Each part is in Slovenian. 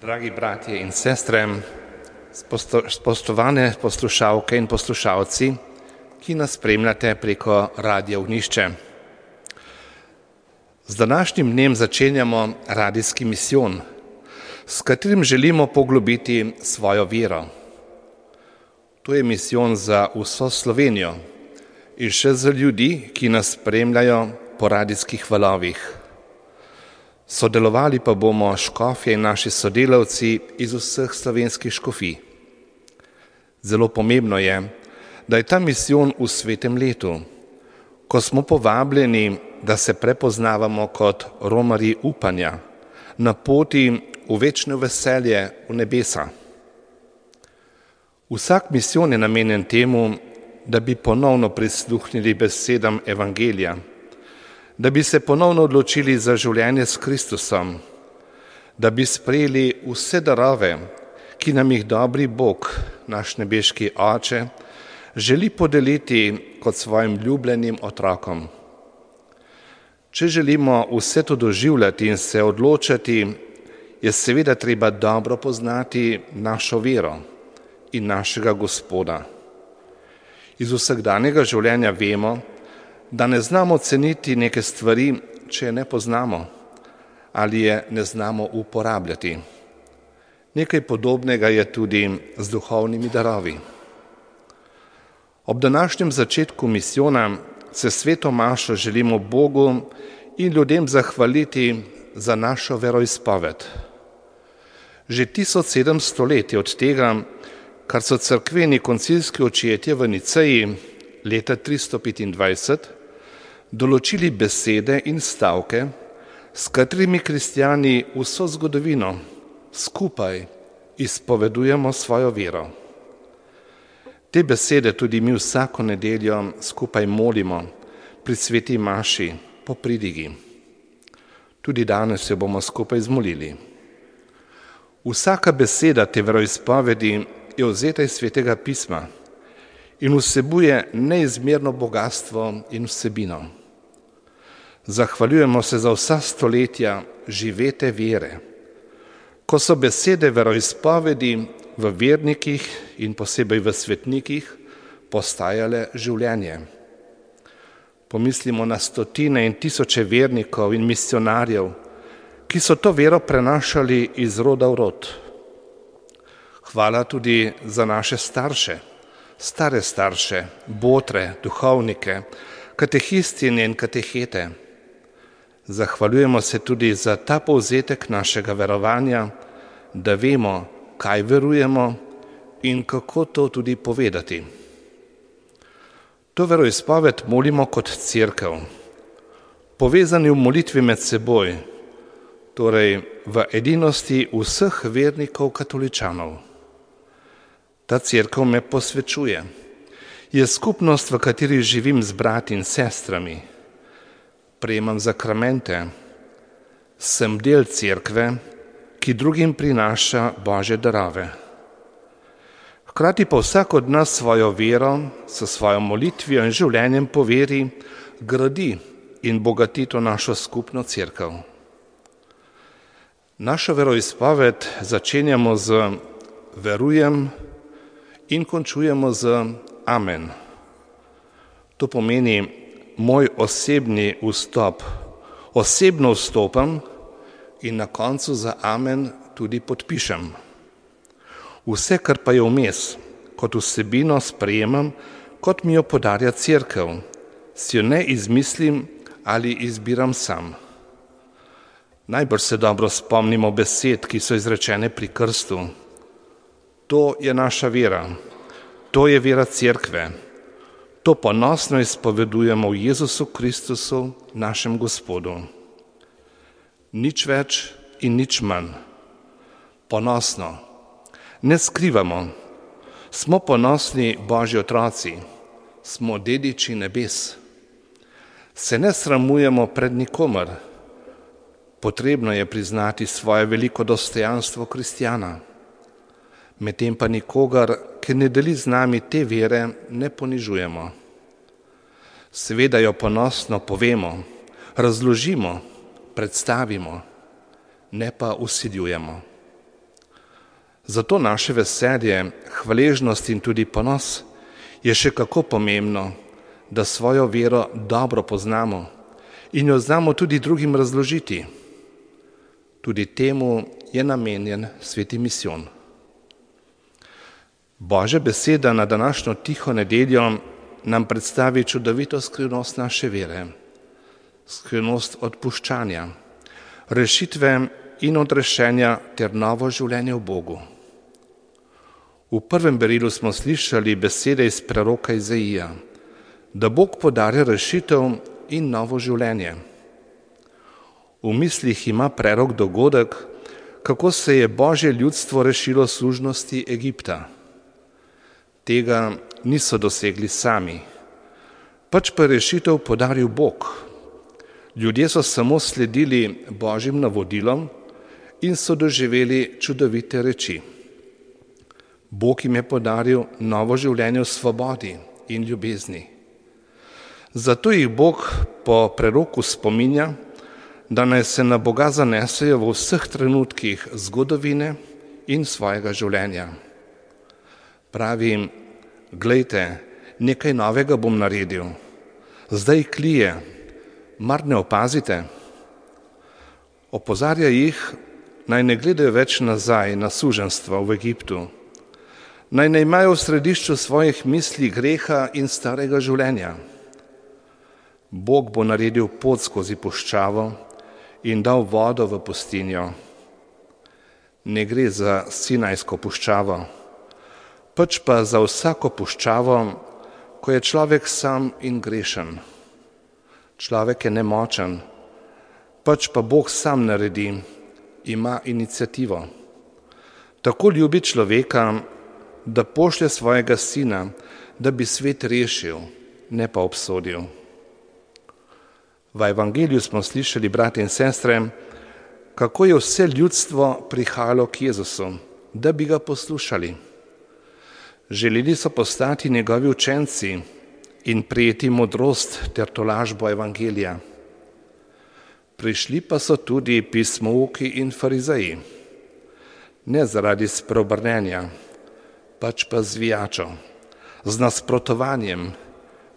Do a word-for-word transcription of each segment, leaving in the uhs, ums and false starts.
Dragi bratje in sestre, spoštovane poslušalke in poslušalci, ki nas spremljate preko Radia Ognjišče. Z današnjim dnem začenjamo radijski misijon, s katerim želimo poglobiti svojo vero. To je misijon za vso Slovenijo in še za ljudi, ki nas spremljajo po radijskih valovih. Sodelovali pa bomo škofje in naši sodelavci iz vseh slovenskih škofij. Zelo pomembno je, da je ta misijon v svetem letu, ko smo povabljeni, da se prepoznavamo kot romarji upanja, na poti v večno veselje v nebesa. Vsak misijon je namenjen temu, da bi ponovno prisluhnili besedam evangelija, da bi se ponovno odločili za življenje s Kristusom, da bi sprejeli vse darove, ki nam jih dobri Bog, naš nebeški Oče, želi podeliti kot svojim ljubljenim otrokom. Če želimo vse to doživljati in se odločati, je seveda treba dobro poznati našo vero in našega Gospoda. Iz vsakdanjega življenja vemo, da ne znamo ceniti neke stvari, če je ne poznamo ali je ne znamo uporabljati. Nekaj podobnega je tudi z duhovnimi darovi. Ob današnjem začetku misijona se sveto mašo želimo Bogu in ljudem zahvaliti za našo veroizpoved. Že tisoč sedemsto let je od tega, kar so cerkveni koncilski očetje v Niceji leta tristo petindvajset določili besede in stavke, s katerimi kristjani vso zgodovino skupaj izpovedujemo svojo vero. Te besede tudi mi vsako nedeljo skupaj molimo pri sveti maši po pridigi. Tudi danes jo bomo skupaj zmolili. Vsaka beseda te veroizpovedi je vzeta iz svetega pisma in vsebuje neizmerno bogatstvo in vsebino. Zahvaljujemo se za vsa stoletja živete vere, ko so besede veroizpovedi v vernikih in posebej v svetnikih postajale življenje. Pomislimo na stotine in tisoče vernikov in misionarjev, ki so to vero prenašali iz roda v rod. Hvala tudi za naše starše, stare starše, botre, duhovnike, katehistinje in katehete. Zahvaljujemo se tudi za ta povzetek našega verovanja, da vemo, kaj verujemo in kako to tudi povedati. To veroizpoved molimo kot cerkev, povezani v molitvi med seboj, torej v edinosti vseh vernikov katoličanov. Ta cerkev me posvečuje. Je skupnost, v kateri živim z brati in sestrami. Prejemam zakramente. Sem del cerkve, ki drugim prinaša Božje darove. Hkrati pa vsak od nas svojo vero, s svojo molitvijo in življenjem po veri gradi in bogati to našo skupno cerkev. Našo veroizpoved začenjamo z verujem in končujemo z amen. To pomeni moj osebni vstop. Osebno vstopam in na koncu za amen tudi podpišem. Vse, kar pa je vmes, kot vsebino sprejemam, kot mi jo podarja cerkev, si jo ne izmislim ali izbiram sam. Najbrž se dobro spomnimo besed, ki so izrečene pri krstu. To je naša vera, to je vera cerkve. To ponosno izpovedujemo v Jezusu Kristusu, našem Gospodu. Nič več in nič manj. Ponosno. Ne skrivamo. Smo ponosni Božji otroci. Smo dediči nebes. Se ne sramujemo pred nikomer. Potrebno je priznati svoje veliko dostojanstvo kristjana. Medtem pa nikogar, ki ne deli z nami te vere, ne ponižujemo. Seveda jo ponosno povemo, razložimo, predstavimo, ne pa vsiljujemo. Zato naše veselje, hvaležnost in tudi ponos je še kako pomembno, da svojo vero dobro poznamo in jo znamo tudi drugim razložiti. Tudi temu je namenjen sveti misijon. Božja beseda na današnjo tiho nedeljo nam predstavi čudovito skrivnost naše vere, skrivnost odpuščanja, rešitve in odrešenja ter novo življenje v Bogu. V prvem berilu smo slišali besede iz preroka Izaija, da Bog podarja rešitev in novo življenje. V mislih ima prerok dogodek, kako se je Božje ljudstvo rešilo služnosti Egipta. Tega niso dosegli sami, pač pa rešitev podaril Bog. Ljudje so samo sledili Božjim navodilom in so doživeli čudovite reči. Bog jim je podaril novo življenje v svobodi in ljubezni. Zato jih Bog po preroku spominja, da naj se na Boga zanesejo v vseh trenutkih zgodovine in svojega življenja. Pravi jim, glejte, nekaj novega bom naredil, zdaj klije, mar ne opazite? Opozarja jih, naj ne gledajo več nazaj na suženjstvo v Egiptu, naj ne imajo v središču svojih misli greha in starega življenja. Bog bo naredil pot skozi puščavo in dal vodo v pustinjo. Ne gre za Sinajsko puščavo, pač pa za vsako puščavo, ko je človek sam in grešen. Človek je nemočen, pač pa Bog sam naredi, ima iniciativo. Tako ljubi človeka, da pošlje svojega sina, da bi svet rešil, ne pa obsodil. V evangeliju smo slišali, brate in sestre, kako je vse ljudstvo prihajalo k Jezusu, da bi ga poslušali. Želeli so postati njegovi učenci in prejeti modrost ter tolažbo evangelija. Prišli pa so tudi pismouki in farizeji, ne zaradi spreobrnenja, pač pa zvijačo, z nasprotovanjem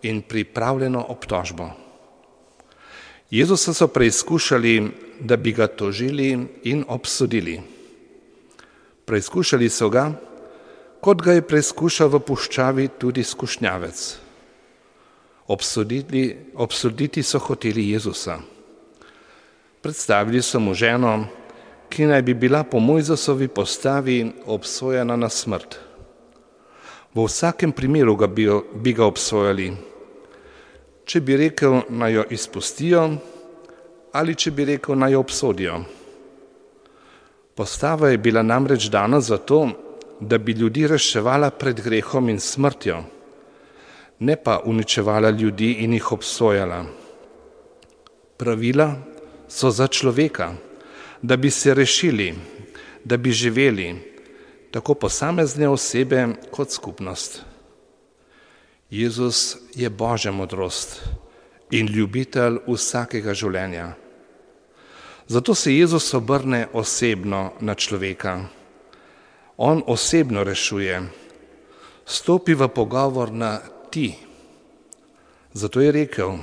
in pripravljeno obtožbo. Jezusa so preizkušali, da bi ga tožili in obsodili. Preizkušali so ga, kot ga je preizkušal v puščavi tudi skušnjavec. Obsoditi, obsoditi so hoteli Jezusa. Predstavili so mu ženo, ki naj bi bila po Mojzesovi postavi obsojena na smrt. V vsakem primeru ga bi, bi ga obsojali, če bi rekel, naj jo izpustijo, ali če bi rekel, naj jo obsodijo. Postava je bila namreč dana zato, da bi ljudi reševala pred grehom in smrtjo, ne pa uničevala ljudi in jih obsojala. Pravila so za človeka, da bi se rešili, da bi živeli, tako posamezne osebe kot skupnost. Jezus je Božja modrost in ljubitelj vsakega življenja. Zato se Jezus obrne osebno na človeka. On osebno rešuje, stopi v pogovor na ti. Zato je rekel,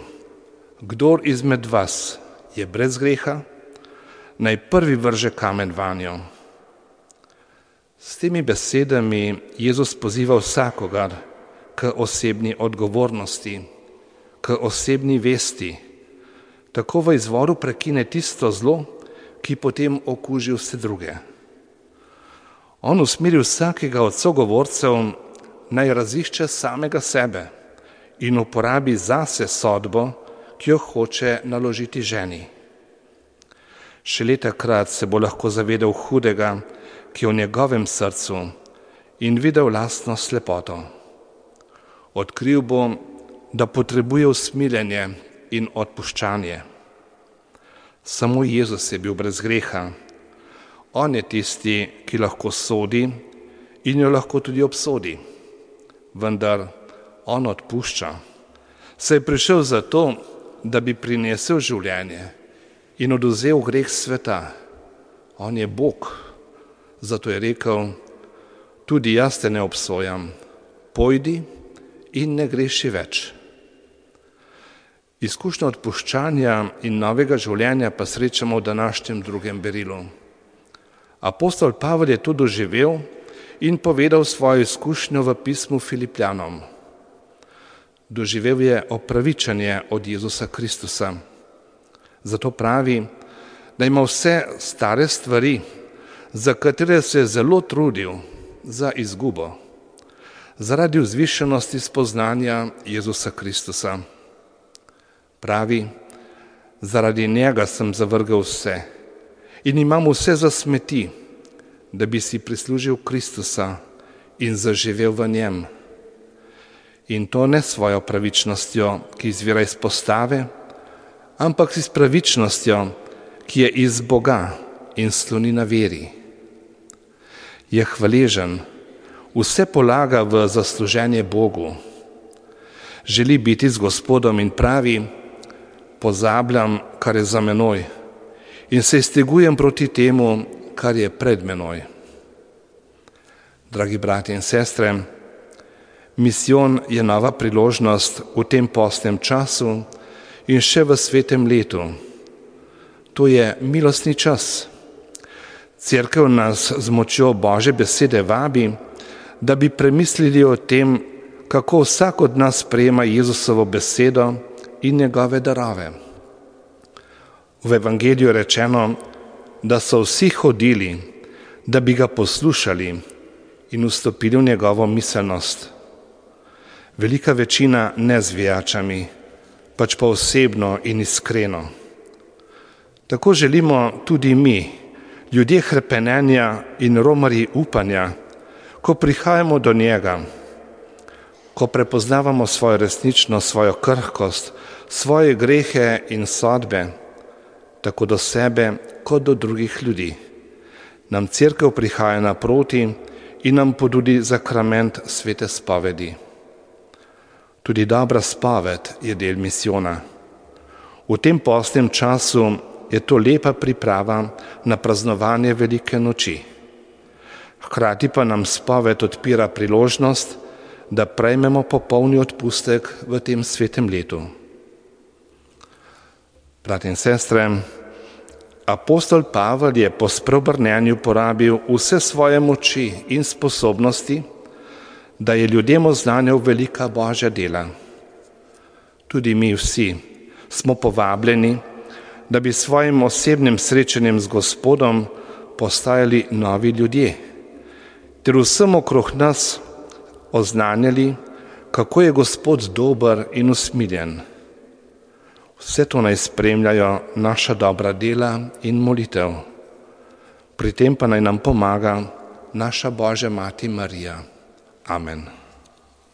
kdor izmed vas je brez greha, naj prvi vrže kamen vanjo. S temi besedami Jezus poziva vsakogar k osebni odgovornosti, k osebni vesti, tako v izvoru prekine tisto zlo, ki potem okuži vse druge. On usmeri vsakega od sogovorcev, naj razišče samega sebe in uporabi zase sodbo, ki jo hoče naložiti ženi. Šele takrat se bo lahko zavedal hudega, ki je v njegovem srcu, in videl lastno slepoto. Odkril bo, da potrebuje usmiljenje in odpuščanje. Samo Jezus je bil brez greha. On je tisti, ki lahko sodi in jo lahko tudi obsodi. Vendar on odpušča. Se je prišel zato, da bi prinesel življenje in odvzel greh sveta. On je Bog. Zato je rekel, tudi jaz te ne obsojam, pojdi in ne greši več. Izkušnjo odpuščanja in novega življenja pa srečamo v današnjem drugem berilu. Apostol Pavel je to doživel in povedal svojo izkušnjo v pismu Filipljanom. Doživel je opravičenje od Jezusa Kristusa. Zato pravi, da ima vse stare stvari, za katere se je zelo trudil, za izgubo, zaradi vzvišenosti spoznanja Jezusa Kristusa. Pravi, zaradi njega sem zavrgel vse in imam vse za smeti, da bi si prislužil Kristusa in zaživel v njem. In to ne svojo pravičnostjo, ki izvira iz postave, ampak s pravičnostjo, ki je iz Boga in sloni na veri. Je hvaležen, vse polaga v zasluženje Bogu. Želi biti z Gospodom in pravi, pozabljam, kar je za menoj in se iztegujem proti temu, kar je pred menoj. Dragi bratje in sestre, misijon je nova priložnost v tem postnem času in še v svetem letu. To je milostni čas. Cerkev nas z močjo Božje besede vabi, da bi premislili o tem, kako vsak od nas sprejema Jezusovo besedo in njegove darove. V evangeliju je rečeno, da so vsi hodili, da bi ga poslušali in vstopili v njegovo miselnost. Velika večina ne z vijačami, pač pa osebno in iskreno. Tako želimo tudi mi, ljudje hrepenenja in romarji upanja, ko prihajamo do njega, ko prepoznavamo svojo resničnost, svojo krhkost, svoje grehe in sodbe, tako do sebe kot do drugih ljudi. Nam cerkev prihaja naproti in nam ponudi zakrament svete spovedi. Tudi dobra spoved je del misijona. V tem postnem času je to lepa priprava na praznovanje velike noči. Hkrati pa nam spoved odpira priložnost, da prejmemo popolni odpustek v tem svetem letu. Bratje in sestre, apostol Pavel je po spreobrnenju porabil vse svoje moči in sposobnosti, da je ljudem oznanjal velika Božja dela. Tudi mi vsi smo povabljeni, da bi svojim osebnim srečanjem z Gospodom postajali novi ljudje, ter vsem okrog nas oznanjali, kako je Gospod dober in usmiljen. Vse to naj spremljajo naša dobra dela in molitev. Pri tem pa naj nam pomaga naša Božja Mati Marija. Amen.